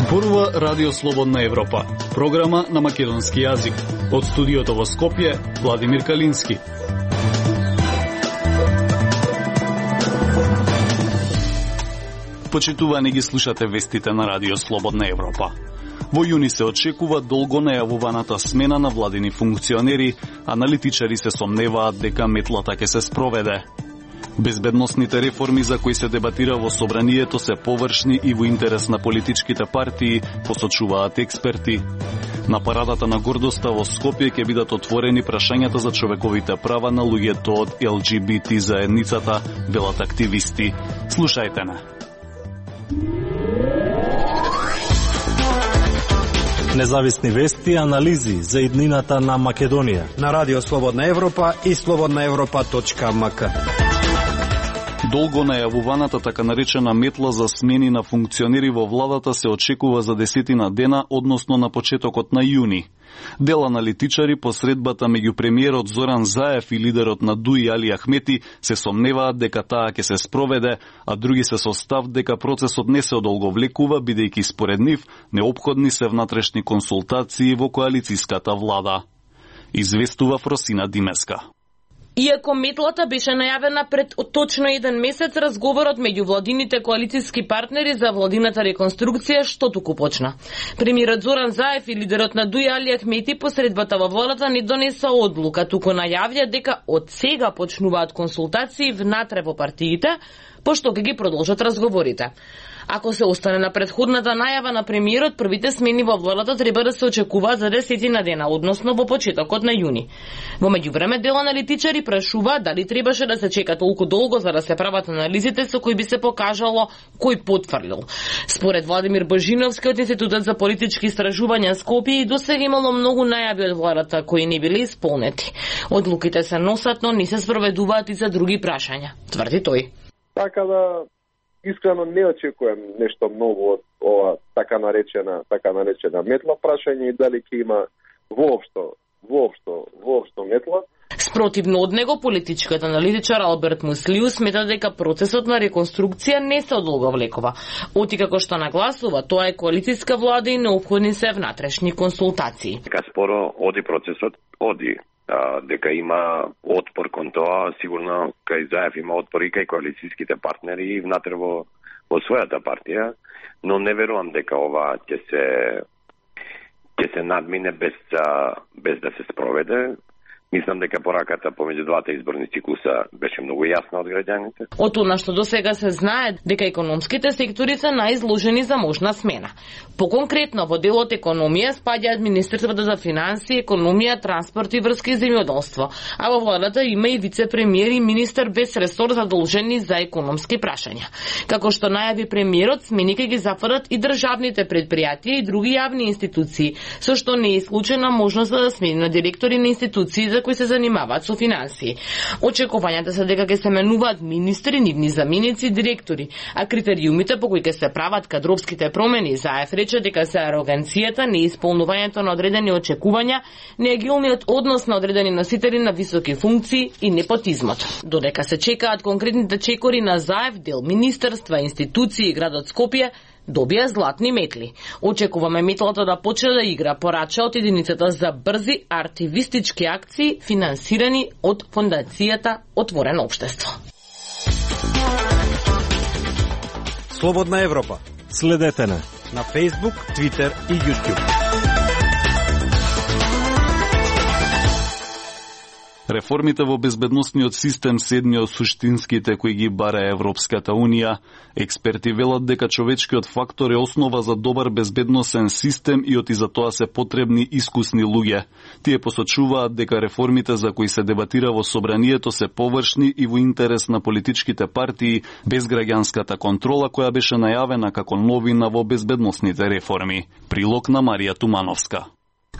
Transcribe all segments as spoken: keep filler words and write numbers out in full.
Зборува Радио Слободна Европа, програма на македонски јазик. Од студиото во Скопје, Владимир Калински. Почитувани ги слушате вестите на Радио Слободна Европа. Во јуни се очекува долго најавуваната смена на владини функционери, аналитичари се сомневаат дека метлата ќе се спроведе. Безбедносните реформи за кои се дебатира во собранието се површни и во интерес на политичките партии, посочуваат експерти. На парадата на гордоста во Скопје ќе бидат отворени прашањата за човековите права на луѓето од Ел Џи Би Ти заедницата, велат активисти. Слушајте на. Независни вести и анализи за иднината на Македонија на Радио Слободна Европа и слободна европа точка ем ка. Долго најавуваната така наречена метла за смени на функционери во владата се очекува за десетина дена, односно на почетокот на јуни. Дел аналитичари по средбата меѓу премиерот Зоран Заев и лидерот на ДУИ Али Ахмети се сомневаат дека таа ќе се спроведе, а други се со став дека процесот не се одолговлекува, бидејќи според нив неопходни се внатрешни консултации во коалицијската влада. Известува Фросина Димеска. Иако метлата беше најавена пред точно еден месец, разговорот меѓу владините коалицијски партнери за владината реконструкција што туку почна. Премиерот Зоран Заев и лидерот на ДУИ Али Ахмети по средбата во владата не донеса одлука, туку најавија дека од сега почнуваат консултации внатре во партиите, пошто ќе ги продолжат разговорите. Ако се остане на претходната најава на премиерот, првите смени во владата треба да се очекуваат за десетина дена, односно во почетокот на јуни. Во меѓувреме, дел аналитичари прашуваат дали требаше да се чека толку долго за да се прават анализите со кои би се покажало кој потврлил. Според Владимир Божиновски од Институтот за политички истражувања Скопје, досега имало многу најави од владата кои не биле исполнети. Одлуките се носат, но не се спроведуваат и за други прашања, тврди тој. Така да искрено не очекувам нешто ново од ова така наречена така наречена метла. Прашање и дали ќе има воопшто воопшто воопшто метла. Спротивно од него, политичкиот аналитичар Алберт Муслиу смета дека процесот на реконструкција не се одолговлекува. Оти како што нагласува, тоа е коалицијска влада и неопходни се внатрешни консултации. Дека споро оди процесот, оди. А, дека има отпор кон тоа, сигурно кај Заев има отпор и кај коалицијските партнери внатре во, во својата партија, но не верувам дека ова ќе се ќе се надмине без, без да се спроведе. Мислам дека пораката помеѓу двата изборни циклуса беше многу јасна од граѓаните. Од она што досега се знае дека економските сектори се најизложени за можна смена. Поконкретно во делот економија спаѓаат Министерството за финансии, економија, транспорт и врски и земјоделство, а во владата има и вице-премиер и министер без ресор задолжени за економски прашања. Како што најави премиерот, смени ќе ги зафатат и државните предпријатија и други јавни институции, со што не е исклучена можност да смени на директори на институции за кои се занимаваат со финансии. Очекувањата се дека ќе се менуваат министри, нивни заменици и директори, а критериумите по кои ќе се прават кадровските промени, Заев рече дека се ароганцијата, неисполнувањето на одредени очекувања, неагилниот однос на одредени носители на високи функции и непотизмот. Додека се чекаат конкретните чекори на Заев, дел министерства, институции и градот Скопје добија златни метли. Очекуваме метлата да почне да игра, порача од единицата за брзи артивистички акции финансирани од фондацијата Отворено општество. Слободна Европа. Следете на на Facebook, Twitter и YouTube. Реформите во безбедносниот систем се едни од суштинските кои ги бара Европската Унија. Експерти велат дека човечкиот фактор е основа за добар безбедносен систем и оти за тоа се потребни искусни луѓе. Тие посочуваат дека реформите за кои се дебатира во собранието се површни и во интерес на политичките партии, без граѓанската контрола која беше најавена како новина во безбедносните реформи. Прилог на Марија Тумановска.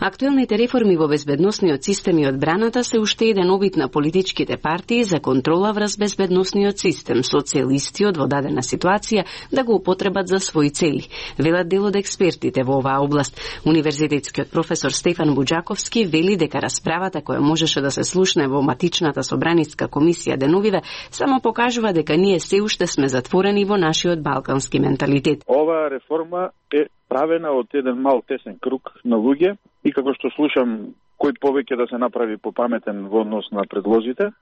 Актуелните реформи во безбедносниот систем и одбраната се уште еден обид на политичките партии за контрола врз безбедносниот систем со цел истиот во дадена ситуација да го употребат за своји цели, велат дел од експертите во оваа област. Универзитетскиот професор Стефан Буџаковски вели дека расправата која можеше да се слушне во матичната собраниска комисија деновиве само покажува дека ние се уште сме затворени во нашиот балкански менталитет. Оваа реформа е правена од еден мал тесен круг на луѓе и како што слушам кој повеќе да се направи попаметен во однос на предлозите,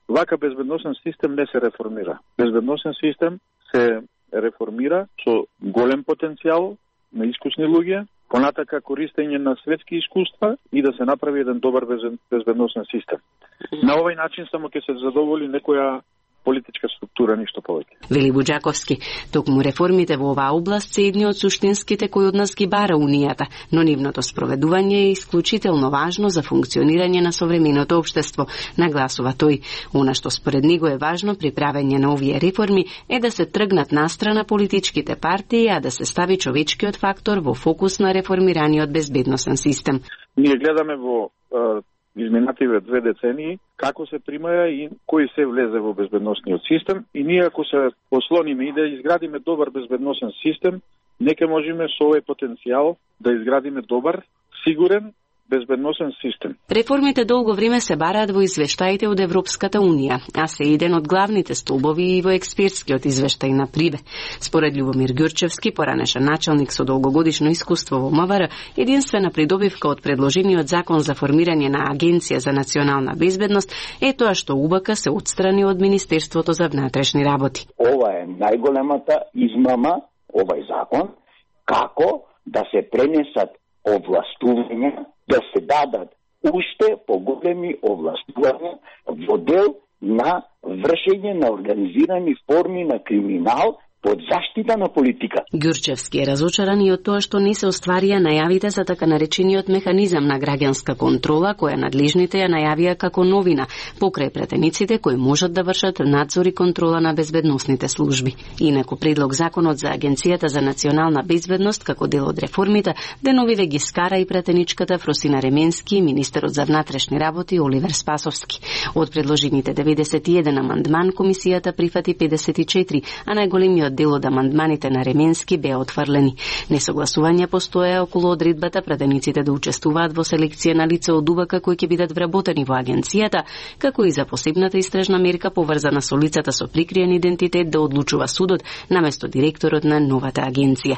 вака безбедносен систем не се реформира. Безбедносен систем се реформира со голем потенцијал на искусни луѓе, понатака користење на светски искуства и да се направи еден добар безбедносен систем. На овој начин само ќе се задоволи некоја политичка структура, ништо повеќе. Вели Буџаковски, токму реформите во оваа област се едни од суштинските кои од нас ги бара Унијата, но нивното спроведување е исклучително важно за функционирање на современото општество, нагласува тој. Она што според него е важно при правење на овие реформи е да се тргнат настрана политичките партии, а да се стави човечкиот фактор во фокус на реформираниот безбедносен систем. Ние гледаме во изминативе две децении како се примаја и кој се влезе во безбедносниот систем и ние ако се ослониме и да изградиме добар безбедносен систем, нека можеме со овој потенцијал да изградиме добар, сигурен безбедносен систем. Реформите долго време се бараат во извештаите од Европската Унија, а се еден од главните столбови и во експертскиот извештај на Прибе. Според Љубомир Ѓурчевски, поранешен началник со долгогодишно искуство во МВР, единствена придобивка од предложениот закон за формирање на Агенција за национална безбедност е тоа што УБК се отстрани од Министерството за внатрешни работи. Ова е најголемата измама, овај закон, како да се пренесат овластувања, да се дадат уште поголеми овластувања во дел на вршење на организирани форми на криминал под заштита на политика. Ѓурчевски е разочаран и од тоа што не се остварија најавите за така наречениот механизам на граѓанска контрола, која надлежните ја најавија како новина, покрај претениците кои можат да вршат надзор и контрола на безбедносните служби. Инаку предлог законот за Агенцијата за национална безбедност како дел од реформите деновиве ги скара и претеничката Фросина Ременски и министерот за внатрешни работи Оливер Спасовски. Од предложените деветдесет и еден амандман комисијата прифати педесет и четири, а најголемиот дел од амандманите на Ременски беа отфрлени. Несогласување постоја околу одредбата пратениците да учествуваат во селекција на лица од УБК кои ќе бидат вработени во агенцијата, како и за посебната истражна мерка поврзана со лицата со прикриен идентитет да одлучува судот наместо директорот на новата агенција.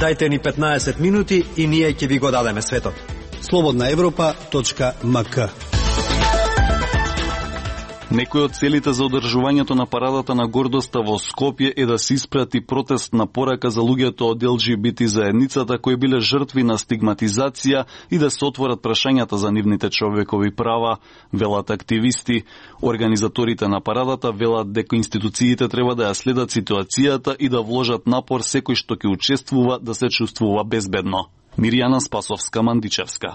Дајте ни петнаесет минути и ние ќе ви го дадеме светот. слободна европа точка ем ка. Некој од целите за одржувањето на парадата на гордоста во Скопје е да се испрати протестна порака за луѓето од ел џи би ти заедницата кои биле жртви на стигматизација и да се отворат прашањата за нивните човекови права, велат активисти. Организаторите на парадата велат дека институциите треба да ја следат ситуацијата и да вложат напор секој што ќе учествува да се чувствува безбедно. Мирјана Спасовска-Мандичевска.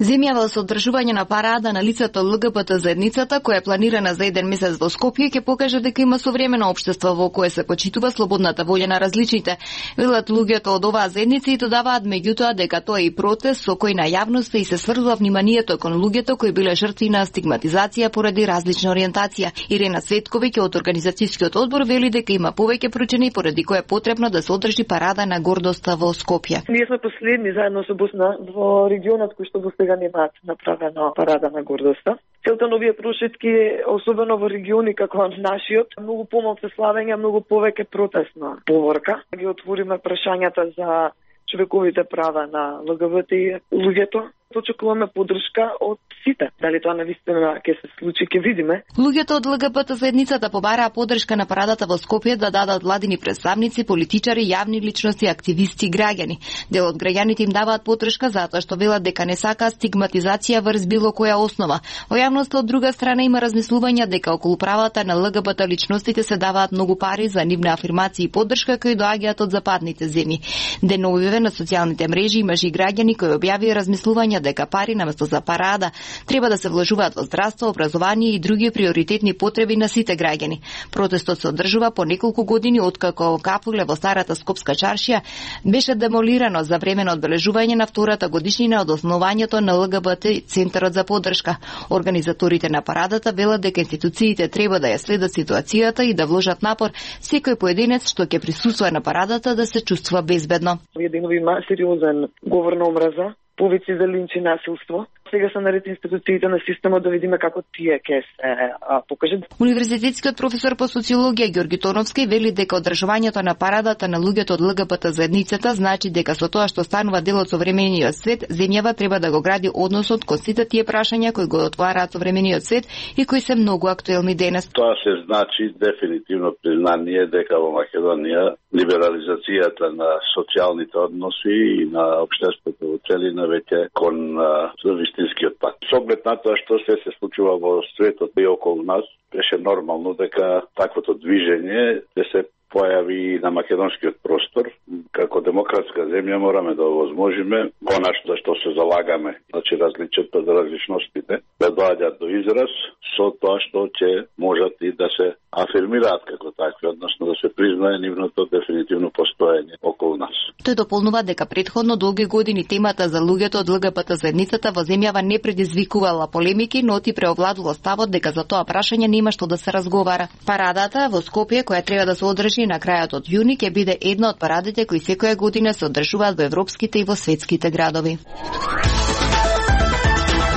Земјава со одржување на парада на лицата ел ге би те заедницата, која е планирана за еден месец во Скопје, ќе покаже дека има современо општество во кое се почитува слободната волја на различните. Велат луѓето од оваа заедница и додаваат меѓутоа дека тоа е и протест со кој на јавноста и се сврзува вниманието кон луѓето кои биле жртви на стигматизација поради различна ориентација. Ирена Цветковиќ од организацијскиот одбор вели дека има повеќе причини поради кои е потребно да се одржи парада на гордоста во Скопје. Ние сме последни заедно со Босна во регионот кој што до сега немаат направена парада на гордоста. Целта на овие прошетки, особено во региони како нашиот, многу помалку славење, многу повеќе протестна поворка. Ги отвориме прашањата за човековите права на ел ге би те луѓето. Очекуваме поддршка од сите. Дали тоа навистина ќе се случи, ќе видиме. Луѓето од ел ге би те заедницата побараа поддршка на парадата во Скопје да дадат владини представници, политичари, јавни личности, активисти и граѓани. Дел од граѓаните им даваат поддршка затоа што велат дека не сакаат стигматизација врз било која основа. Во јавноста од друга страна има размислувања дека околу правата на ел ге би те личностите се даваат многу пари за нивна афирмација и поддршка кои доаѓаат од западните земји. Деновиве на социјалните мрежи имаше и граѓани кои објавија размислувања дека пари наместо за парада треба да се вложуваат во здравство, образование и други приоритетни потреби на сите граѓани. Протестот се одржува по неколку години откако кафуле во старата скопска чаршија беше демолирано за време на одбележување на втората годишнина од основањето на ел ге би те Центарот за поддршка. Организаторите на парадата велат дека институциите треба да ја следат ситуацијата и да вложат напор секој поединец што ќе присуствува на парадата да се чувствува безбедно. Овие денови има сериозен говор на омраза, повеќе за линч и насилство. сега се наред институциите на системот да видиме како тие ќе се а, покажат. Универзитетскиот професор по социологија Ѓорги Тоновски вели дека одржувањето на парадата на луѓето од Л Г Б Т заедницата значи дека со тоа што станува дел од современиот свет, земјава треба да го гради односот кон сите тие прашања кои го отвараат современиот свет и кои се многу актуелни денес. Тоа се значи дефинитивно признание дека во Македонија либерализацијата на социјалните односи и на општеството во целина веќе кон вистинскиот пат. Со оглед на тоа што се се случува во светот и околу нас, беше нормално дека таквото движење ќе се појави на македонскиот простор. Како демократска земја мораме да овозможиме конашно за што се залагаме, значи различните различностите да доаѓаат до израз со тоа што ќе можат и да се афирмираат како такви, односно да се признае нивното дефинитивно постоење околу нас. Тој дополнува дека претходно долги години темата за луѓето од Л Г Б Т заедницата во земјава не предизвикувала полемики, но ти преовладува ставот дека за тоа прашање нема што да се разговара. Парадата во Скопје, која треба да се одржи на крајот од јуни, ќе биде една од парадите кои секоја година се одржуваат во европските и во светските градови.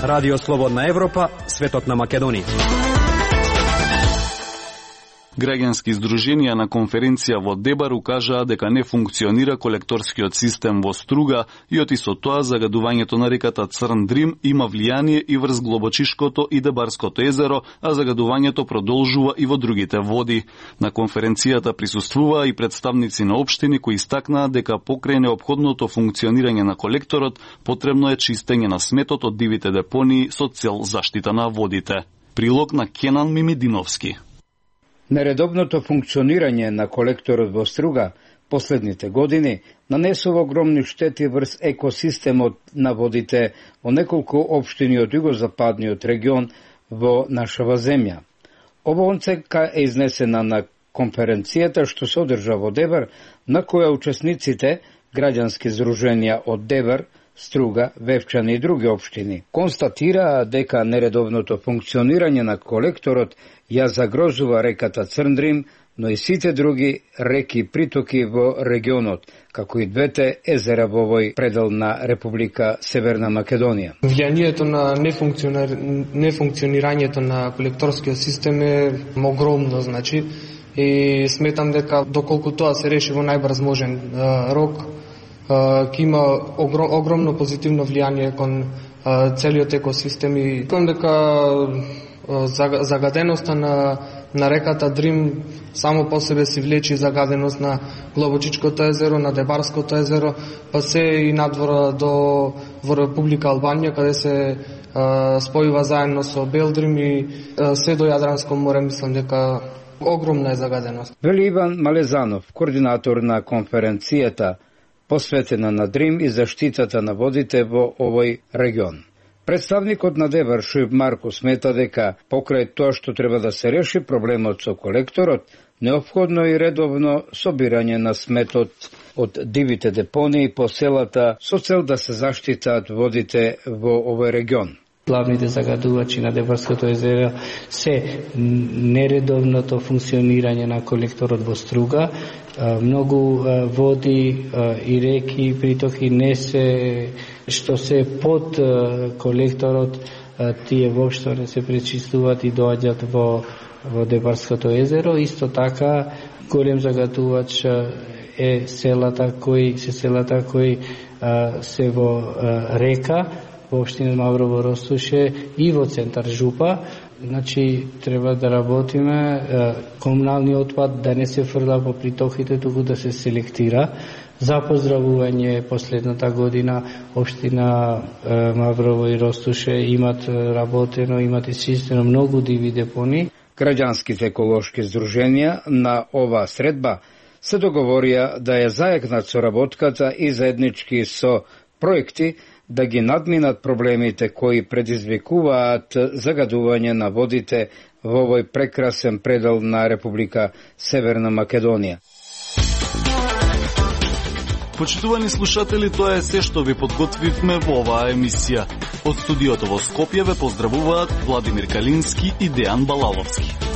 Радио Слободна Европа, светот на Македонија. Граѓански издруженија на конференција во Дебар укажаа дека не функционира колекторскиот систем во Струга и оти со тоа загадувањето на реката Црн Дрим има влијание и врз Глобочишкото и Дебарското езеро, а загадувањето продолжува и во другите води. На конференцијата присуствуваа и представници на општини кои истакнаа дека покрај неопходното функционирање на колекторот потребно е чистење на сметот од дивите депонии со цел заштита на водите. Прилог на Кенан Мимидиновски. Нередовното функционирање на колекторот во Струга последните години нанесува огромни штети врз екосистемот на водите во неколку општини од југозападниот регион во нашава земја. Ова оценка е изнесена на конференцијата што се одржа во Дебар, на која учесниците, граѓански здруженија од Дебар, Струга, Вевчани и други општини, констатираа дека нередовното функционирање на колекторот ја загрозува реката Црн Дрим, но и сите други реки и притоки во регионот, како и двете езера во овој предел на Република Северна Македонија. Влијанието на нефункционирањето на колекторскиот систем е огромно, значи, и сметам дека доколку тоа се реши во најбрз можен рок, ќе има огромно позитивно влијание кон целиот екосистем и кон дека загаденоста на, на реката Дрим само по себе си влечи загаденост на Глобочичкото езеро, на Дебарското езеро, па се и надвора до во Република Албанија, каде се а, спојува заедно со Белдрим и а, се до Јадранско море, мислам дека огромна е загаденост. Вели Иван Малезанов, координатор на конференцијата посветена на Дрим и заштитата на водите во овој регион. Представникот на Дебар Шујб Марко смета дека покрај тоа што треба да се реши проблемот со колекторот, неопходно и редовно собирање на сметот од дивите депонии по селата со цел да се заштитаат водите во овој регион. Главните загадувачи на Дебарското езеро се нередовното функционирање на колекторот во Струга. Многу води и реки и притоки не се што се под колекторот, тие воопшто не се пречистуваат и доаѓаат во во Дебарското езеро. Исто така голем загадувач е селата кои се селата кои се во река во општина Маврово Ростуше и во центар Жупа. Значи, треба да работиме комуналниот отпад да не се фрла по притоките, туку да се селектира. За поздравување последната година општина Маврово и Ростуше имат работено, имат изчистено многу диви депони. Граѓанските еколошки здруженија на оваа средба се договорија да ја заекнат соработката и заеднички со проекти да ги надминат проблемите кои предизвикуваат загадување на водите во овој прекрасен предел на Република Северна Македонија. Почитувани слушатели, тоа е се што ви подготвивме во оваа емисија. Од студиото во Скопје ве поздравуваат Владимир Калински и Дејан Балаловски.